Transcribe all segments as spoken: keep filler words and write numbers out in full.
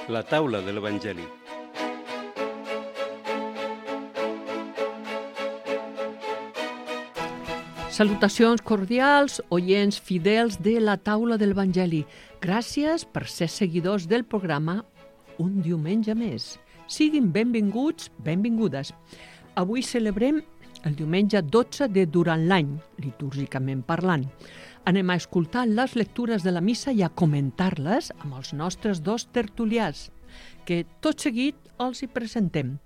La taula de l'Evangeli. Salutacions cordials, oients fidels de la taula de l'Evangeli. Gràcies per ser seguidors del programa un diumenge més. Siguin benvinguts, benvingudes. Avui celebrem el diumenge dotze de durant l'any, litúrgicament parlant. Anem a escoltar les lectures de la missa i a comentar-les amb els nostres dos tertulians, que tot seguit els hi presentem.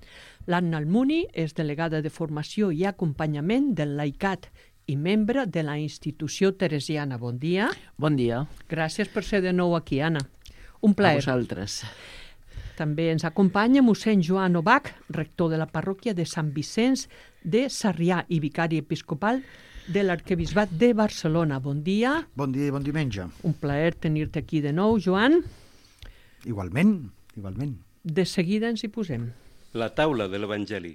L'Anna Almuni és delegada de formació i acompanyament del Laicat i membre de la institució teresiana. Bon dia. Bon dia. Gràcies per ser de nou aquí, Anna. Un plaer. A vosaltres. També ens acompanya mossèn Joan Obach, rector de la parròquia de Sant Vicenç de Sarrià i vicari episcopal de l'arquebisbat de Barcelona. Bon dia. Bon dia i bon diumenge. Un plaer tenir-te aquí de nou, Joan. Igualment, igualment. De seguida ens hi posem. La taula de l'Evangeli.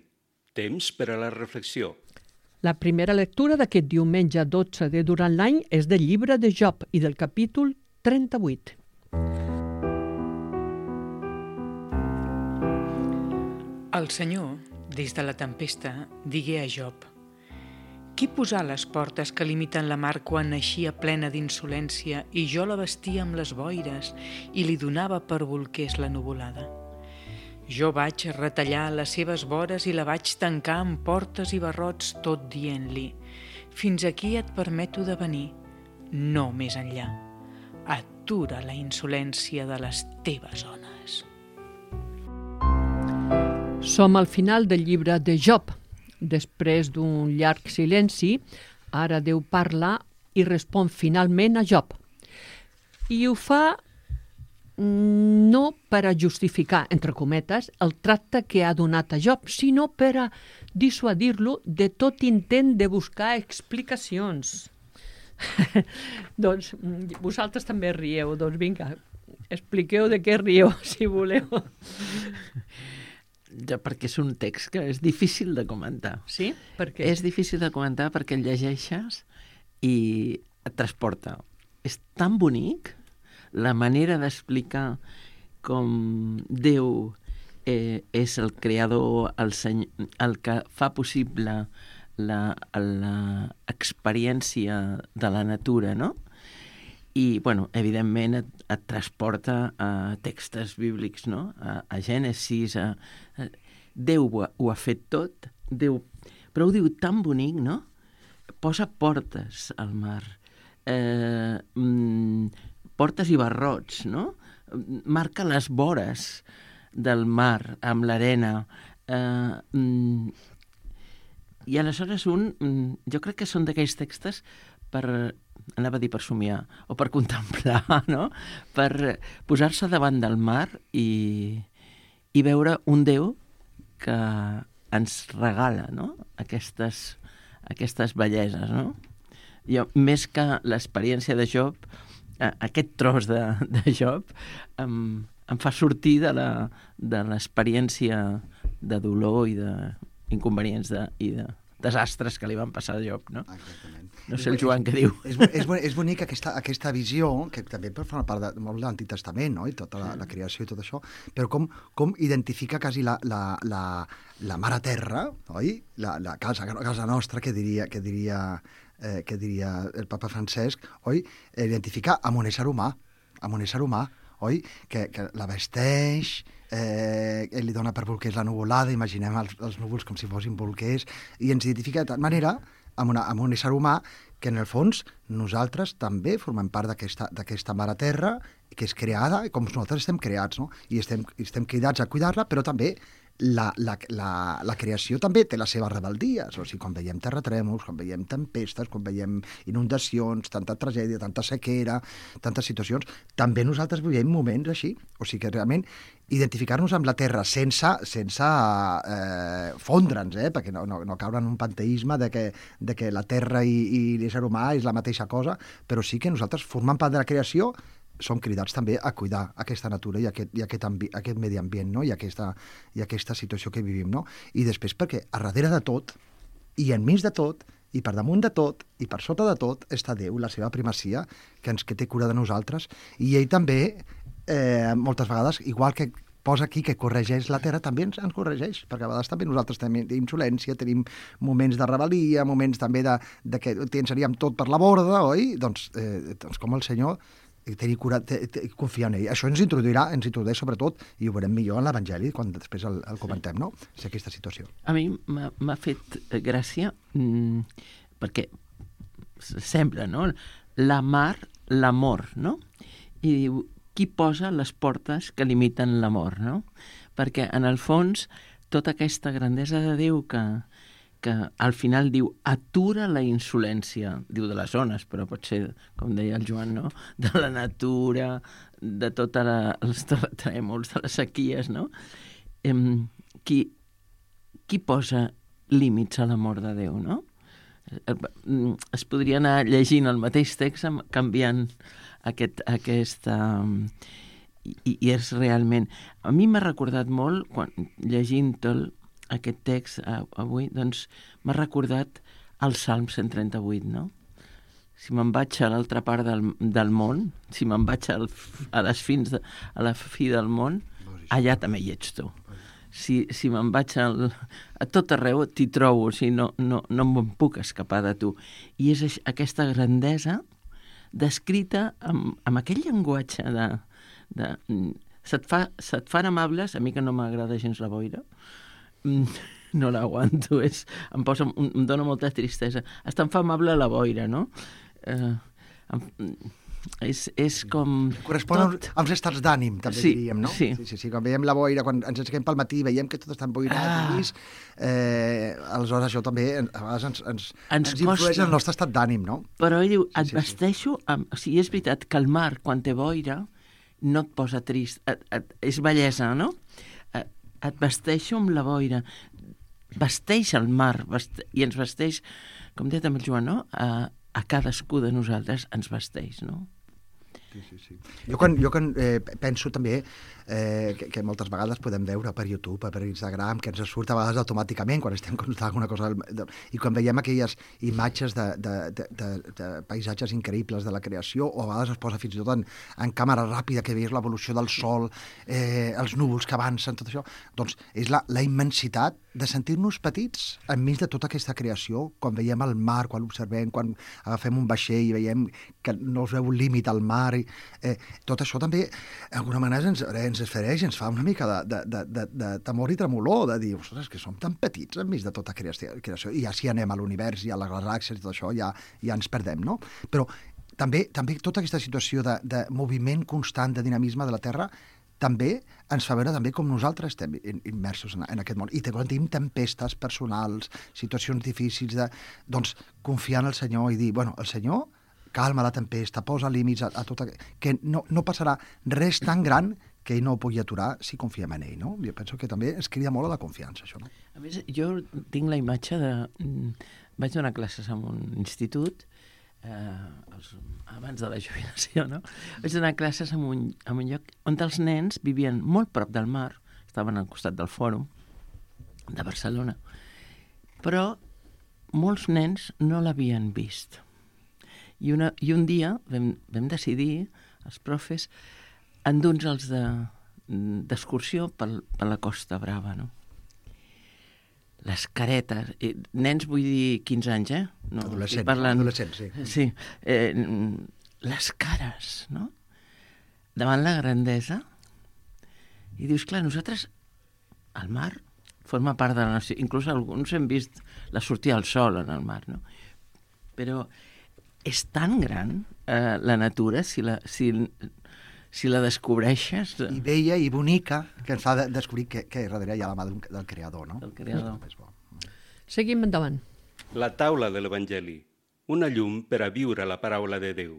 Temps per a la reflexió. La primera lectura d'aquest diumenge dotze de durant l'any és del llibre de Job i del capítol trenta-vuit. El Senyor, des de la tempesta, digué a Job: qui posà les portes que limiten la mar quan eixia plena d'insolència i jo la vestia amb les boires i li donava per bolquers la nuvolada? Jo vaig retallar les seves vores i la vaig tancar amb portes i barrots, tot dient-li: fins aquí et permeto de venir, no més enllà. Atura la insolència de les teves ones. Som al final del llibre de Job. Després d'un llarg silenci, ara Déu parla i respon finalment a Job. I ho fa no per a justificar, entre cometes, el tracte que ha donat a Job, sinó per a dissuadir-lo de tot intent de buscar explicacions. Doncs vosaltres també rieu, doncs vinga, expliqueu de què rieu, si voleu. Ja, perquè és un text que és difícil de comentar. Sí? Per què? És difícil de comentar perquè el llegeixes i et transporta. És tan bonic la manera d'explicar com Déu eh, és el creador, el, seny... el que fa possible l'experiència de la natura, no? I, bueno, evidentment et, et transporta a textos bíblics, no? A, a Gènesis, a, a... Déu ho ha, ho ha fet tot, Déu... però ho diu tan bonic, no? Posa portes al mar, eh, mm, portes i barrots, no? Marca les vores del mar amb l'arena. Eh, mm, I aleshores un... Jo crec que són d'aquells textos per... anava a dir per somiar, o per contemplar, no? Per posar-se davant del mar i, i veure un Déu que ens regala, no? Aquestes, aquestes belleses, no? Jo, més que l'experiència de Job, aquest tros de, de Job em, em fa sortir de la, de l'experiència de dolor i d'inconvenients de, i de desastres que li van passar a Job, no? Exactament. No sé el Joan què diu. És, és, és bonic aquesta, aquesta visió, que també forma part de, molt de l'Antic Testament, no? I tota la, la creació i tot això, però com, com identifica quasi la, la, la, la mare terra, oi? La, la casa, casa nostra, que diria, que diria, eh, que diria el papa Francesc, oi? Identifica amb un ésser humà, amb un ésser humà, oi? Que, que la vesteix, eh, ell li dona per bolquers la nuvolada, imaginem els, els núvols com si fossin bolquers, i ens identifica de tal manera amb, una, amb un ésser humà que en el fons nosaltres també formem part d'aquesta mare terra que és creada, com nosaltres estem creats, no? I estem, estem cridats a cuidar-la, però també la, la, la, la creació també té les seves rebeldies. O sigui, quan veiem terratrèmols, quan veiem tempestes, quan veiem inundacions, tanta tragèdia, tanta sequera, tantes situacions, també nosaltres vivim moments així. O sigui que realment identificar-nos amb la terra sense, sense eh, fondre'ns, eh? Perquè no, no, no caure en un panteisme de que, de que la terra i, i l'ésser humà és la mateixa cosa, però sí que nosaltres formant part de la creació som cridats també a cuidar aquesta natura i aquest, i aquest, ambi, aquest medi ambient, no? I, aquesta, i aquesta situació que vivim, no? I després perquè a darrere de tot i enmig de tot i per damunt de tot, i per sota de tot, està Déu, la seva primacia, que ens que té cura de nosaltres, i ell també eh, moltes vegades, igual que posa aquí que corregeix la Terra, també ens, ens corregeix, perquè a vegades també nosaltres tenim insolència, tenim moments de rebel·lia, moments també de, de que tensaríem tot per la borda, oi? Doncs, eh, doncs com el Senyor, tenir cura, te, te, confiar en ell. Això ens introduirà, ens introdueix sobretot, i ho veurem millor en l'Evangeli, quan després el, el comentem, no? És aquesta situació. A mi m'ha fet gràcia, mmm, perquè sembla, no? La mar, l'amor, no? I diu, qui posa les portes que limiten l'amor, no? Perquè, en el fons, tota aquesta grandesa de Déu que, que al final diu atura la insolència, diu de les ones, però pot ser, com deia el Joan, no? De la natura, de tots els terratrèmols, de les sequies, no? Eh, qui, qui posa límits a l'amor de Déu, no? Es podria anar llegint el mateix text canviant aquest, aquest um, i, i és realment, a mi m'ha recordat molt quan llegint tot aquest text uh, avui, doncs m'ha recordat el Salm cent trenta-vuit, no? Si me'n vaig a l'altra part del, del món, si me'n vaig al, a les fins de, a la fi del món, allà també hi ets tu. Si, si me'n vaig al, a tot arreu, t'hi trobo, o sigui, no, no, no me'n puc escapar de tu. I és aquesta grandesa descrita amb, amb aquell llenguatge de... de se't, fa, se't fan amables, a mi que no m'agrada gens la boira, no l'aguanto, és, em, posa, em dona molta tristesa. Es te'n fa amable la boira, no? Eh, em, És, és com... Correspon tot... als estats d'ànim, també sí, diríem, no? Sí. Sí, sí, sí. Quan veiem la boira, quan ens aixequem pel matí, veiem que tot està emboirat ah. i llis, eh, aleshores això també a vegades ens, ens, ens, ens influeix en el nostre estat d'ànim, no? Però ell diu, et sí, sí, vesteixo... Amb... O sigui, és veritat que el mar, quan té boira, no et posa trist. Et, et, és bellesa, no? Et, et vesteixo amb la boira. Vesteix el mar, veste... i ens vesteix, com deia també el Joan, no? A, a cadascú de nosaltres ens vesteix, no? Sí, sí, sí. Jo quan, jo quan eh, penso també eh, que, que moltes vegades podem veure per YouTube, per Instagram, que ens surt a vegades automàticament quan estem consultant alguna cosa, i quan veiem aquelles imatges de, de, de, de, de paisatges increïbles de la creació, o a vegades es posa fins i tot en, en càmera ràpida, que veies l'evolució del sol, eh, els núvols que avancen, tot això, doncs és la, la immensitat de sentir-nos petits enmig de tota aquesta creació, quan veiem el mar, quan l'observem, quan agafem un vaixell i veiem que no es veu un límit al mar, i, eh, tot això també, d'alguna manera, ens, ens esfereix, ens fa una mica de, de, de, de, de temor i tremolor, de dir, ostres, que som tan petits enmig de tota creació, creació, i ja si anem a l'univers i a les galàxies i tot això, ja, ja ens perdem, no? Però també, també tota aquesta situació de, de moviment constant, de dinamisme de la Terra, també ens fa veure també com nosaltres estem immersos en, en aquest món. I quan tenim tempestes personals, situacions difícils, de, doncs confiar en el Senyor i dir, bueno, el Senyor calma la tempesta, posa límits a, a tot... Que no, no passarà res tan gran que ell no ho pugui aturar si confiem en ell, no? Jo penso que també es crida molt a la confiança, això, no? A més, jo tinc la imatge de... Vaig donar classes en un institut, eh, els, abans de la jubilació, no? Vaig donar classes en un, en un lloc on els nens vivien molt prop del mar, estaven al costat del Fòrum de Barcelona, però molts nens no l'havien vist. I, una, i un dia vam, vam decidir, els profes, endur-nos d'excursió de, per, per la Costa Brava, no? Les caretes, eh, nens vull dir quinze anys, eh? No, adolescents, parlant... adolescents, sí. Sí, eh, les cares, no? Davant la grandesa. I dius, clar, nosaltres, el mar forma part de la nació, inclús alguns hem vist la sortida del sol en el mar, no? Però és tan gran eh, la natura, si la, si, si la descobreixes... I bella i bonica, que ens fa de descobrir que, que darrere hi ha la mà del creador, no? Del creador. Seguim endavant. La taula de l'Evangeli, una llum per a viure la paraula de Déu.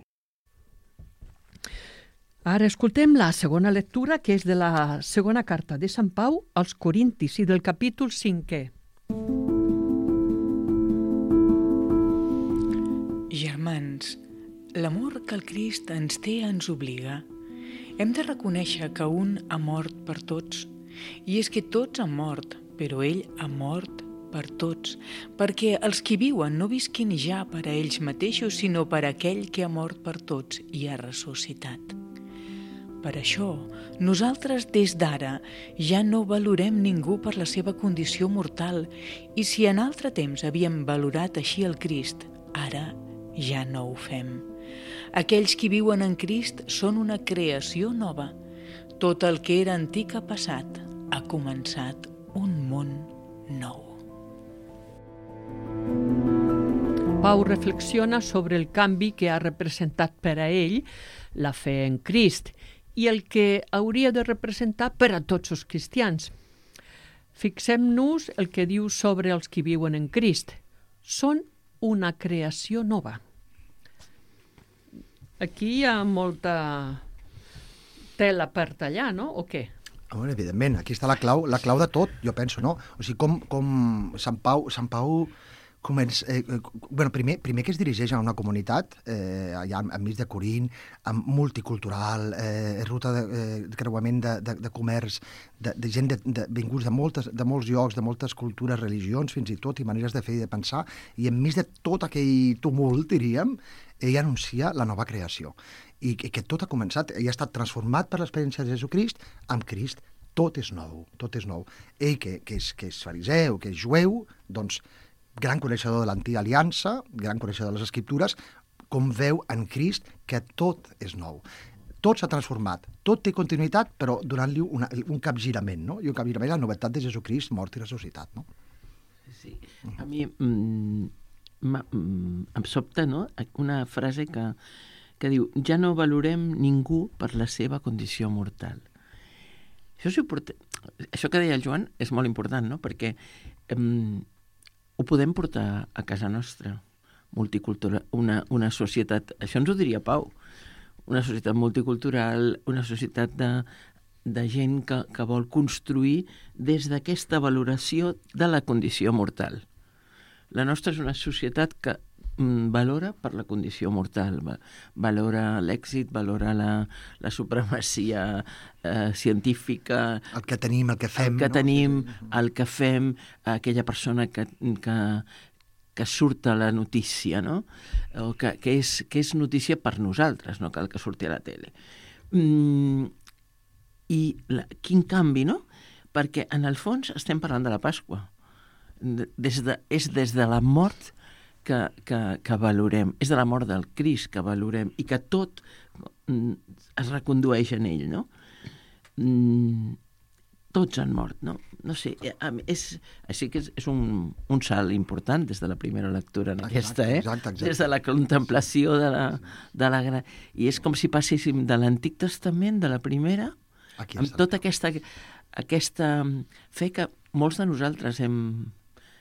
Ara escoltem la segona lectura, que és de la segona carta de Sant Pau als Corintis i del capítol cinquè. Germans, l'amor que el Crist ens té ens obliga. Hem de reconèixer que un ha mort per tots, i és que tots han mort, però ell ha mort per tots, perquè els qui viuen no visquin ja per a ells mateixos, sinó per a aquell que ha mort per tots i ha ressuscitat. Per això, nosaltres des d'ara ja no valorem ningú per la seva condició mortal i si en altre temps havíem valorat així el Crist, ara ja no ho fem. Aquells qui viuen en Crist són una creació nova. Tot el que era antic ha passat, ha començat un món nou. Pau reflexiona sobre el canvi que ha representat per a ell la fe en Crist i el que hauria de representar per a tots els cristians. Fixem-nos el que diu sobre els que viuen en Crist. Són una creació nova. Aquí hi ha molta tela per tallar, no? O què? Bueno, evidentment, aquí està la clau, la clau de tot, jo penso, no? O sigui, com, com Sant Pau, Sant Pau comença, eh, bueno, primer, primer que es dirigeix a una comunitat, eh, allà enmig de Corint, multicultural, eh, ruta de, eh, de creuament de, de, de comerç, de, de gent de, de, vinguts de, moltes, de molts llocs, de moltes cultures, religions, fins i tot, i maneres de fer i de pensar, i enmig de tot aquell tumult, diríem, ell anuncia la nova creació. I que, que tot ha començat, ell ha estat transformat per l'experiència de Jesucrist, amb Crist tot és nou, tot és nou. Ell, que, que, és, que és fariseu, que és jueu, doncs, gran coneixedor de l'antiga aliança, gran coneixedor de les Escriptures, com veu en Crist que tot és nou. Tot s'ha transformat, tot té continuïtat, però donant-li una, un capgirament, no? I un capgirament, la novetat de Jesucrist, mort i ressuscitat, no? Sí, a mi mm, mm, em sobta, no?, una frase que, que diu ja no valorem ningú per la seva condició mortal. Això, és important. Això que deia el Joan és molt important, no?, perquè mm, ho podem portar a casa nostra, multicultural, una, una societat, això ens ho diria Pau, una societat multicultural, una societat de, de gent que, que vol construir des d'aquesta valoració de la condició mortal. La nostra és una societat que mm, valora per la condició mortal, va, valora l'èxit, valora la, la supremacia eh, científica, el que tenim, el que fem, el que no? tenim, el que fem, aquella persona que, que, que surt a la notícia, no? O que, que, és, que és notícia per nosaltres, no cal que surti a la tele. Mm, I la, quin canvi, no? Perquè en el fons estem parlant de la Pasqua. Des de, és des de la mort que, que, que valorem, és de la mort del Crist que valorem i que tot mm, es recondueix en ell, no? Mm, tots han mort, no? No sé, és, així que és, és un, un salt important des de la primera lectura en exacte, aquesta, eh? Exacte, exacte. Des de la contemplació de la, de la gra... I és com si passéssim de l'Antic Testament, de la primera, Aquí amb tota aquesta, aquesta fe que molts de nosaltres hem,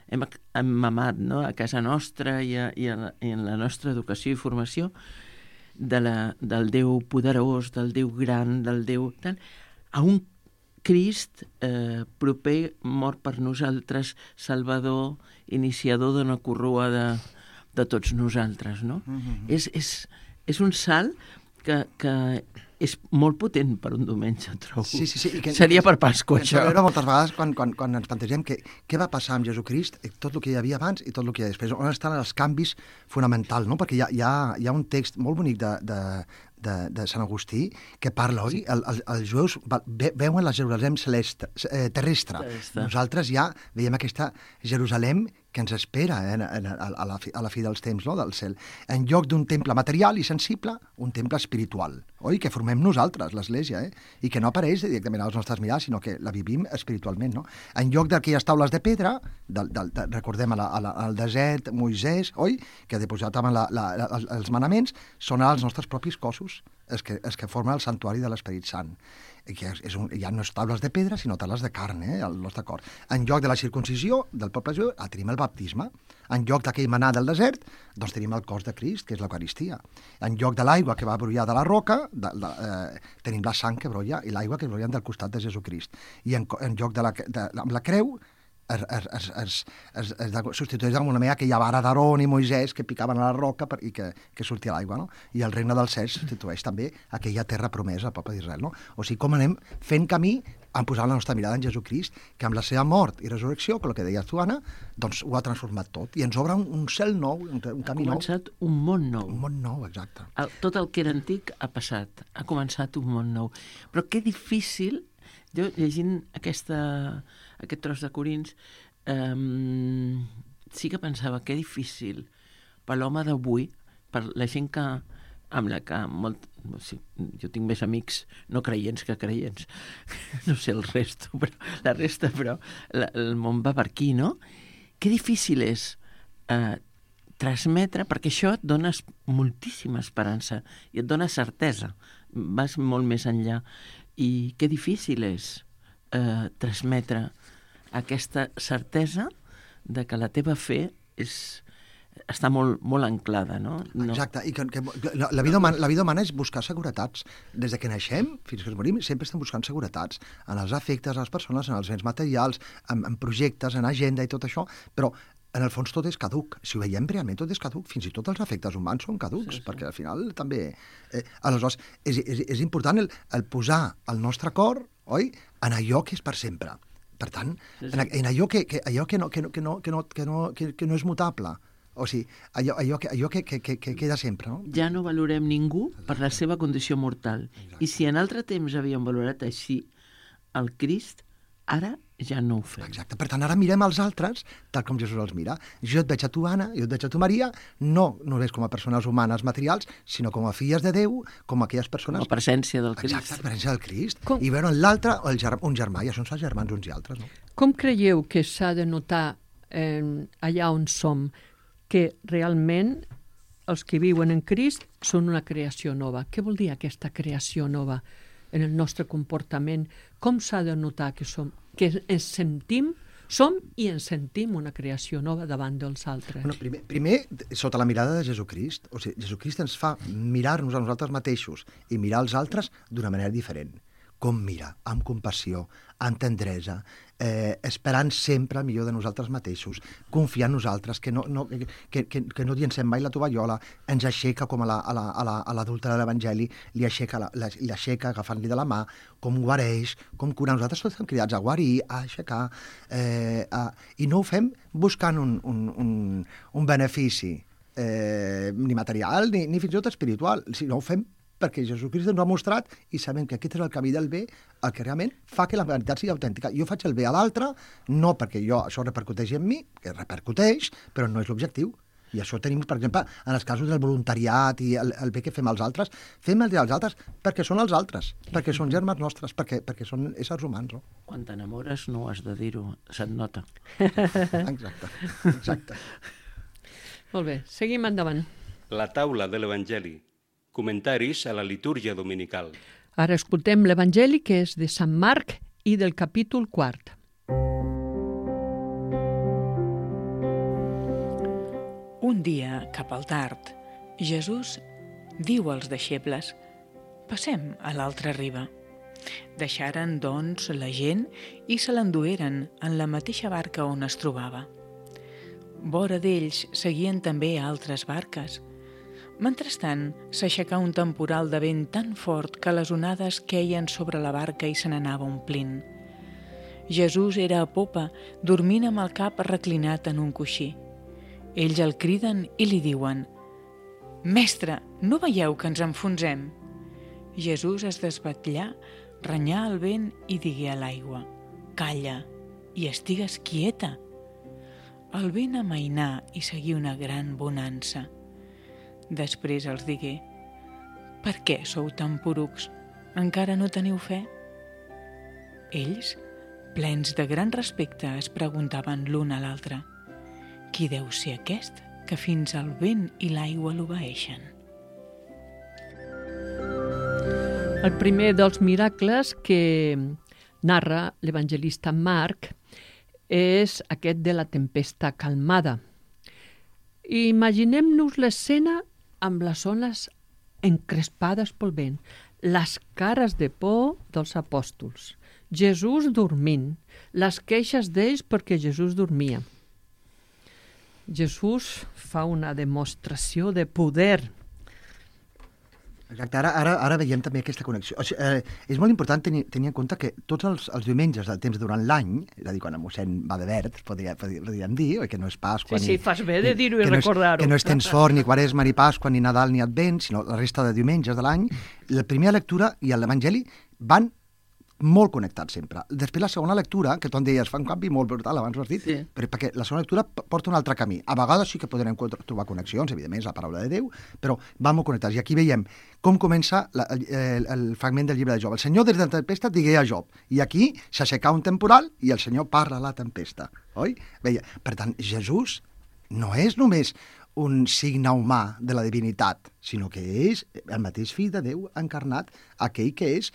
hem, hem mamat, no?, a casa nostra i, a, i, a la, i en la nostra educació i formació de la, del Déu poderós, del Déu gran, del Déu... Tant, a un Crist eh, proper, mort per nosaltres, salvador, iniciador d'una corrua de, de tots nosaltres, no? Mm-hmm. És, és, és un salt que, que és molt potent per un diumenge, trobo. Sí, sí, sí. I que, seria per Pasqua, que això. Ens moltes vegades quan, quan, quan ens plantegem que, què va passar amb Jesucrist, tot el que hi havia abans i tot el que hi ha després. On estan els canvis fonamentals, no? Perquè hi ha, hi ha, hi ha un text molt bonic de, de, de, de Sant Agustí que parla, oi? El, el, els jueus ve, veuen la Jerusalem celeste, eh, terrestre. terrestre. Nosaltres ja veiem aquesta Jerusalem que ens espera eh, a, a, a, la fi, a la fi dels temps, no?, del cel. En lloc d'un temple material i sensible, un temple espiritual, oi? Que formem nosaltres, l'Església, eh? I que no apareix directament als nostres mirats, sinó que la vivim espiritualment, no? En lloc d'aquelles taules de pedra, del, del, de, recordem a la, a la, al desert, Moisès, oi? Que depositaven la, la, la, els manaments, són els nostres propis cossos, els que, els que formen el santuari de l'Esperit Sant. Que és, és un, ja no és taules de pedra, sinó taules de carn, eh, el nostre cor. En lloc de la circuncisió del poble jueu, tenim el baptisme. En lloc d'aquell manar del desert, doncs tenim el cos de Crist, que és l'Eucaristia. En lloc de l'aigua que va brollar de la roca, de, de, eh, tenim la sang que brolla i l'aigua que brolla del costat de Jesucrist. I en, en lloc de la, de, amb la creu, es, es, es, es, es, es substitueix d'alguna manera aquella vara d'Aaron i Moisès que picaven a la roca per, i que, que sortia l'aigua, no? I el regne dels cels substitueix també aquella terra promesa al poble d'Israel, no? O sigui, com anem fent camí en posar la nostra mirada en Jesucrist, que amb la seva mort i resurrecció, que el que deies tu, Anna, doncs ho ha transformat tot. I ens obre un, un cel nou, un, un camí nou. Ha començat nou. un món nou. Un món nou, exacte. El, tot el que era antic ha passat, ha començat un món nou. Però que difícil, jo llegint aquesta, aquest tros de Corins, eh, sí que pensava que difícil per l'home d'avui, per la gent que amb la que molt... Sí, jo tinc més amics no creients que creients. No sé el resto, però, la resta, però la, el món va per aquí, no? Que difícil és eh, transmetre, perquè això et dona moltíssima esperança i et dona certesa. Vas molt més enllà. I que difícil és eh, transmetre aquesta certesa de que la teva fe és... està molt, molt anclada, no? no. Exacte, i que, que la, la, vida humana, la vida humana és buscar seguretats. Des de que naixem fins que ens morim sempre estem buscant seguretats en els afectes, a les persones, en els béns materials, en, en projectes, en agenda i tot això, però en el fons tot és caduc. Si ho veiem realment, tot és caduc. Fins i tot els afectes humans són caducs, sí, sí. Perquè al final també... Eh, aleshores, és, és, és important el, el posar el nostre cor, oi?, en allò que és per sempre. Per tant, sí, sí. En, en allò, que, que, allò que, no, que, no, que, no, que, no, que, no, que, que no és mutable. O sigui, allò, allò, que, allò que, que, que, que queda sempre, no? Ja no valorem ningú per la seva condició mortal. Exacte. I si en altre temps havíem valorat així el Crist, ara ja no ho fem. Exacte. Per tant, ara mirem els altres tal com Jesús els mira. Jo et veig a tu, Anna, jo et veig a tu, Maria, no només com a persones humanes materials, sinó com a filles de Déu, com a aquelles persones... Com a presència del Crist. Exacte, la presència del Crist. Com... I veure en l'altre el ger... un germà, i això són els germans uns i altres, no? Com creieu que s'ha de notar eh, allà on som que realment els que viuen en Crist són una creació nova? Què vol dir aquesta creació nova en el nostre comportament? Com s'ha de notar que som, que ens sentim, som i ens sentim una creació nova davant dels altres? Bueno, primer, primer, sota la mirada de Jesucrist. O sigui, Jesucrist ens fa mirar-nos a nosaltres mateixos i mirar els altres d'una manera diferent. Com mira, amb compassió, amb tendresa, eh, esperant sempre el millor de nosaltres mateixos, confiar en nosaltres, que no, no, que, que, que no llencem mai la tovallola, ens aixeca com a l'adulta la, a la, de l'Evangeli, li aixeca, la, la, li aixeca agafant-li de la mà, com guareix, com cura. Nosaltres tots estem cridats a guarir, a aixecar, eh, a, i no ho fem buscant un, un, un, un benefici eh, ni material ni, ni fins i tot espiritual, sinó ho fem perquè Jesucrist ens ho ha mostrat i sabem que aquest és el camí del bé, el que realment fa que la veritat sigui autèntica. Jo faig el bé a l'altre, no perquè jo això repercuteixi en mi, que repercuteix, però no és l'objectiu. I això tenim, per exemple, en els casos del voluntariat i el, el bé que fem als altres, fem el bé als altres perquè són els altres, perquè són germans nostres, perquè, perquè són éssers humans. No? Quan t'enamores no has de dir-ho, se't nota. Exacte, exacte. Molt bé, seguim endavant. La taula de l'Evangeli. Comentaris a la litúrgia dominical. Ara escoltem l'Evangeli, que és de Sant Marc i del capítol quart. Un dia, cap al tard, Jesús diu als deixebles: «Passem a l'altra riba». Deixaren, doncs, la gent i se l'endueren en la mateixa barca on es trobava. Vora d'ells seguien també altres barques. Mentrestant, s'aixecà un temporal de vent tan fort que les onades queien sobre la barca i se n'anava omplint. Jesús era a popa, dormint amb el cap reclinat en un coixí. Ells el criden i li diuen: «Mestre, no veieu que ens enfonsem?» Jesús es desvetllà, renyà el vent i digué a l'aigua: «Calla, i estigues quieta». El vent amainà i seguí una gran bonança. Després els digué: «Per què sou tan porucs? Encara no teniu fe?» Ells, plens de gran respecte, es preguntaven l'un a l'altre: «Qui deu ser aquest que fins al vent i l'aigua l'obeeixen?» El primer dels miracles que narra l'evangelista Marc és aquest de la tempesta calmada. Imaginem-nos l'escena amb les ones encrespades pel vent. les cares de por dels apòstols, Jesús dormint, les queixes d'ells perquè Jesús dormia. Jesús fa una demostració de poder. Exacte, ara, ara, ara veiem també aquesta connexió. O sigui, eh, és molt important tenir, tenir en compte que tots els, els diumenges del temps durant l'any, és a dir, quan el mossèn va de verd, podria, podríem dir, oi, que no és Pasqua... Sí, ni, sí, fas bé de dir-ho i no recordar-ho. Que no és temps fort, ni Quaresma, ni Pasqua, ni Nadal, ni Advent, sinó la resta de diumenges de l'any, la primera lectura i l'Evangeli van molt connectats sempre. Després la segona lectura, que tu em deies, fa un canvi molt brutal, abans ho has dit, Sí. però perquè la segona lectura porta un altre camí. A vegades sí que podrem trobar connexions, evidentment, és la paraula de Déu, però van molt connectats. I aquí veiem com comença la, el, el fragment del llibre de Job. El Senyor des de la tempesta digué a Job, i aquí s'aixecà un temporal i el Senyor parla a la tempesta. Oi? Veia. Per tant, Jesús no és només un signe humà de la divinitat, sinó que és el mateix fill de Déu encarnat, aquell que és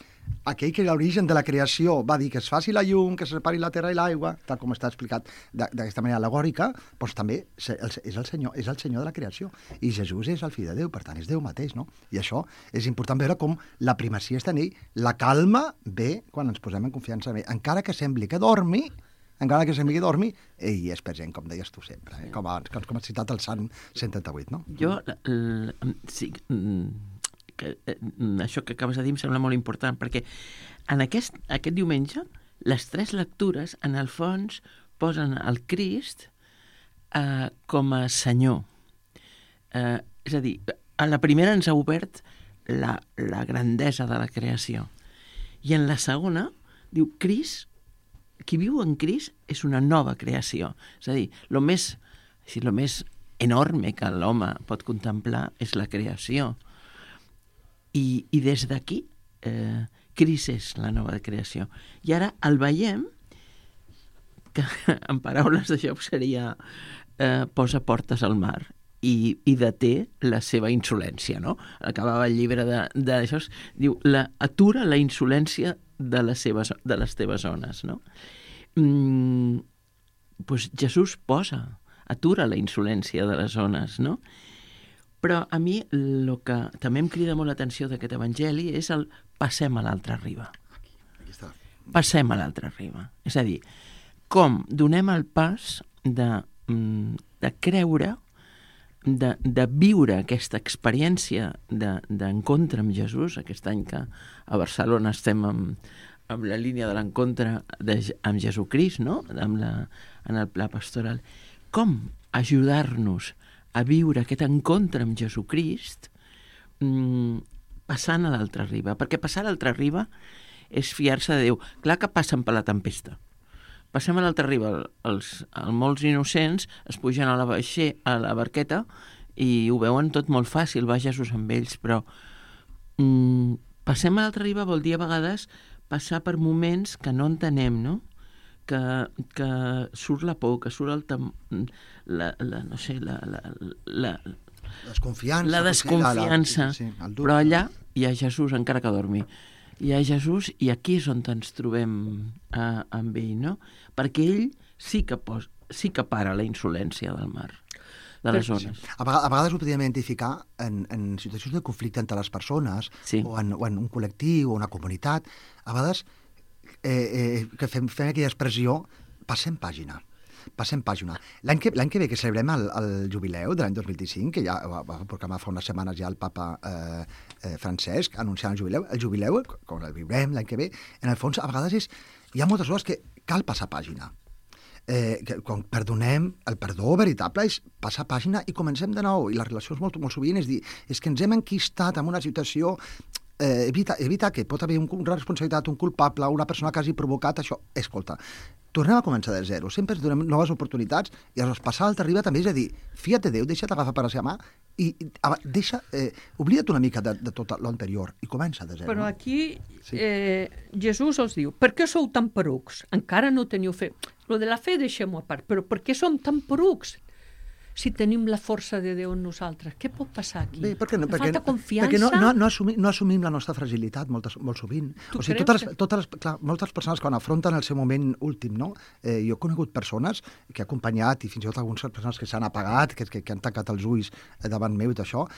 aquell que l'origen de la creació va dir que es faci la llum, que se separi la terra i l'aigua, tal com està explicat d'aquesta manera al·legòrica, doncs també és el Senyor, és el Senyor de la creació. I Jesús és el fill de Déu, per tant, és Déu mateix, no? I això és important veure com la primacia està en ell. La calma ve quan ens posem en confiança en ell. Encara que sembli que dormi, encara que sembli que dormi, ell és present, com deies tu sempre, eh? com, abans, com has citat el Sant cent trenta-vuit, no? Jo, l, l, sí, que, eh, això que acabes de dir em sembla molt important, perquè en aquest, aquest diumenge les tres lectures, en el fons, posen el Crist eh, com a Senyor. Eh, és a dir, a la primera ens ha obert la, la grandesa de la creació. I en la segona diu, Crist, qui viu en Crist és una nova creació. És a dir, el més, si lo més enorme que l'home pot contemplar és la creació. I, i des d'aquí, eh, Crist és la nova creació. I ara el veiem, que en paraules de Job seria eh, posa portes al mar i, i deté la seva insolència, no? Acabava el llibre d'això, diu, la, atura la insolència de les, seves, de les teves zones, no? Mm, doncs Jesús posa, atura la insolència de les zones, no? Però a mi el que també em crida molt l'atenció d'aquest evangeli és el passem a l'altra riba. Aquí, aquí està. Passem a l'altra riba. És a dir, com donem el pas de, de creure, de, de viure aquesta experiència d'encontre amb Jesús, aquest any que a Barcelona estem amb, amb la línia de l'encontre amb Jesucrist, no? Amb la, en el pla pastoral. Com ajudar-nos a viure aquest encontre amb Jesucrist mmm, passant a l'altra riba? Perquè passar a l'altra riba és fiar-se de Déu. Clar que passen per la tempesta. Passem a l'altra riba. Els, els molts innocents es pugen a la, baixe, a la barqueta i ho veuen tot molt fàcil, va Jesús amb ells, però mmm, passem a l'altra riba vol dir a vegades passar per moments que no entenem, no? Que, que surt la por, que surt el tem... la, la, no sé, la, la, la, desconfiança, la desconfiança, la, sí, sí, però allà hi ha Jesús, encara que dormi. Hi ha Jesús i aquí és on ens trobem eh, amb ell, no? Perquè ell sí que, pos, sí que para la insolència del mar, de les zones. A vegades, a vegades ho podríem identificar en, en situacions de conflicte entre les persones, sí. o, en, o en un col·lectiu, o una comunitat. A vegades eh, eh, que fem, fem aquella expressió, passem pàgina. Passem pàgina. L'any que, l'any que ve que celebrem el, el jubileu de l'any dos mil vint-i-cinc, que ja va, va proclamar fa unes setmanes ja el papa eh, eh, Francesc anunciant el jubileu, el jubileu, com el viurem l'any que ve, en el fons a vegades és, hi ha moltes coses que cal passar pàgina. Eh, que, quan perdonem, el perdó veritable és passar pàgina i comencem de nou. I les relacions molt, molt sovint és dir, és que ens hem enquistat en una situació, eh, evita, evita que pot haver un, una responsabilitat, un culpable, una persona que hagi provocat això. Escolta, tornem a començar de zero, sempre ens donem noves oportunitats i aleshores passar a l'altra riba també és a dir, fia't de Déu, deixa't agafar per la seva mà i deixa, eh, oblida't una mica de, de tot l'anterior i comença de zero. Però no? aquí Sí. eh, Jesús els diu, per què sou tan porucs? Encara no teniu fe. Lo de la fe deixem-ho a part, però per què som tan porucs? Si tenim la força de Déu en nosaltres, què pot passar aquí? Bé, perquè no, Em perquè, falta confiança? perquè no, no, no, assumim, no assumim la nostra fragilitat moltes, molt sovint. Tu O sigui, creus totes, que- totes les, clar, moltes persones quan afronten el seu moment últim, no? Eh, jo he conegut persones que he acompanyat i fins i tot algunes persones que s'han apagat, que, que, que han tancat els ulls davant meu i tot això,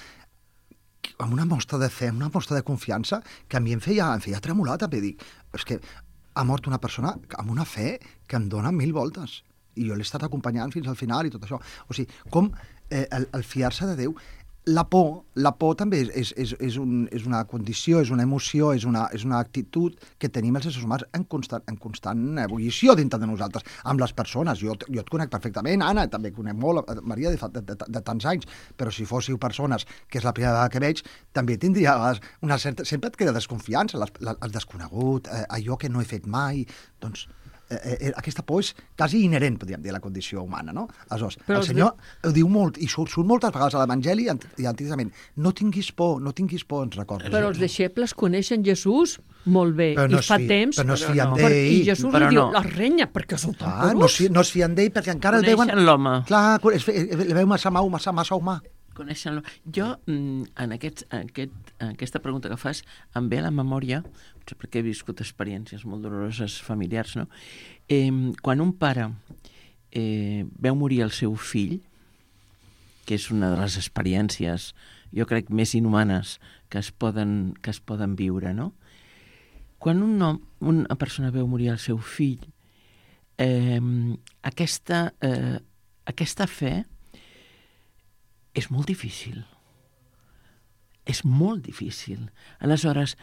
amb una mostra de fe, amb una mostra de confiança, que a mi em feia, em feia tremolar, també dic, és que ha mort una persona amb una fe que em dona mil voltes, i jo l'he estat acompanyant fins al final i tot això. O sigui, com eh, el, el fiar-se de Déu, la por, la por també és, és, és, un, és una condició, és una emoció, és una, és una actitud que tenim els éssers humans en constant, en constant ebullició dintre de nosaltres, amb les persones. Jo, jo et conec perfectament, Anna, també conec molt Maria de, de, de, de tants anys, però si fóssiu persones, que és la primera vegada que veig, també tindria una certa... Sempre et queda desconfiança, les, les, el desconegut, eh, allò que no he fet mai, doncs... Eh, eh, aquesta por és quasi inherent, podríem dir, a la condició humana, no? Aleshores, però el Senyor de... ho diu molt, i surt, surt moltes vegades a l'Evangeli i antigament, no tinguis por, no tinguis por, ens recorda. Però els deixebles coneixen Jesús molt bé, no i fa fi, temps... Però no es fien no. d'ell. I Jesús li diu, no. la renya, perquè sou tan ah, no, es, no es fien d'ell, perquè encara el veuen... Coneixen l'home. Clar, es, el veu massa mau, massa, massa humà. Coneixen-lo. Jo, en, aquest, en, aquest, en aquesta pregunta que fas, em ve a la memòria, perquè he viscut experiències molt doloroses familiars, no? Eh, quan un pare eh, veu morir el seu fill, que és una de les experiències, jo crec, més inhumanes que es poden, que es poden viure, no? Quan un nom, una persona veu morir el seu fill, eh, aquesta, eh, aquesta fe és molt difícil. És molt difícil. Aleshores,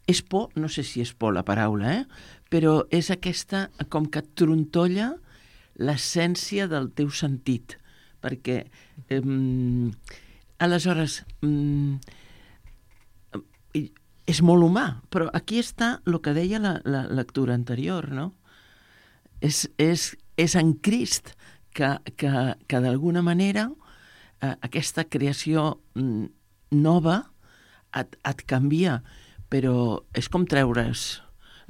és por, no sé si és por la paraula, eh? Però és aquesta, com que et trontolla l'essència del teu sentit. Perquè, eh, aleshores, eh, és molt humà, però aquí està el que deia la, la lectura anterior, no? És, és, és en Crist que, que, que d'alguna manera eh, aquesta creació mm, nova et, et canvia, però és com treure's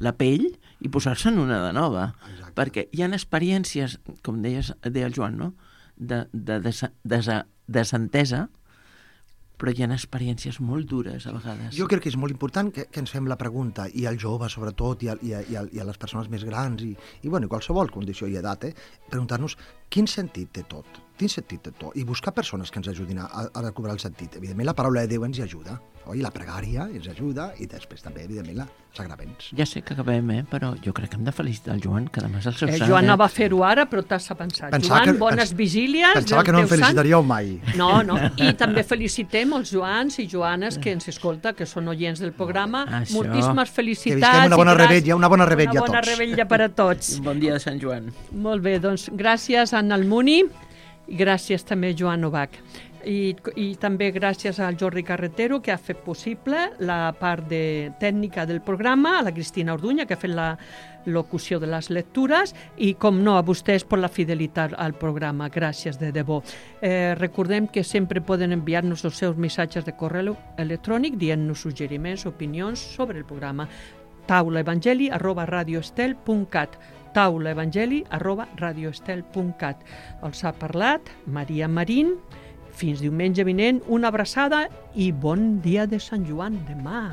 la pell i posar-se en una de nova. Exacte. Perquè hi ha experiències, com deies, deia el Joan, no? de, de desa, desa, desentesa, però hi ha experiències molt dures a vegades. Jo crec que és molt important que, que ens fem la pregunta, i als joves sobretot, i a, i a, i a, i a les persones més grans, i, i bueno, qualsevol condició i edat, eh? Preguntar-nos quin sentit té tot, quin sentit té tot, i buscar persones que ens ajudin a, a recobrar el sentit. Evidentment, la paraula de Déu ens hi ajuda, oi? La pregària ens ajuda, i després també, evidentment, la sagraments. Ja sé que acabem, eh? Però jo crec que hem de felicitar el Joan, que demà és el seu Eh, sant. Joan eh? no va fer-ho ara, però t'has pensat. Pensava Joan, que- bones pens- vigílies. Pensava del que no em teu sant. felicitaríeu mai. No, no. I també felicitem els Joans i Joanes que ens escolta, que són oients del programa. Això. Moltíssimes Que felicitats. visquem una bona i gràcies- rebetlla, una bona rebetlla a Una bona tots. rebetlla per a tots. Un bon dia de Sant Joan. Molt bé, doncs gràcies a Anna Almuni i gràcies també a Joan Novak. I, I també gràcies al Jordi Carretero, que ha fet possible la part de tècnica del programa, a la Cristina Orduña, que ha fet la locució de les lectures, i, com no, a vostès per la fidelitat al programa. Gràcies de debò. Eh, recordem que sempre poden enviar-nos els seus missatges de correu electrònic dient-nos suggeriments, opinions sobre el programa. taulaevangeli arroba radioestel punt cat taulaevangeli arroba radioestel punt cat. Els ha parlat Maria Marín. Fins diumenge vinent, una abraçada i bon dia de Sant Joan demà.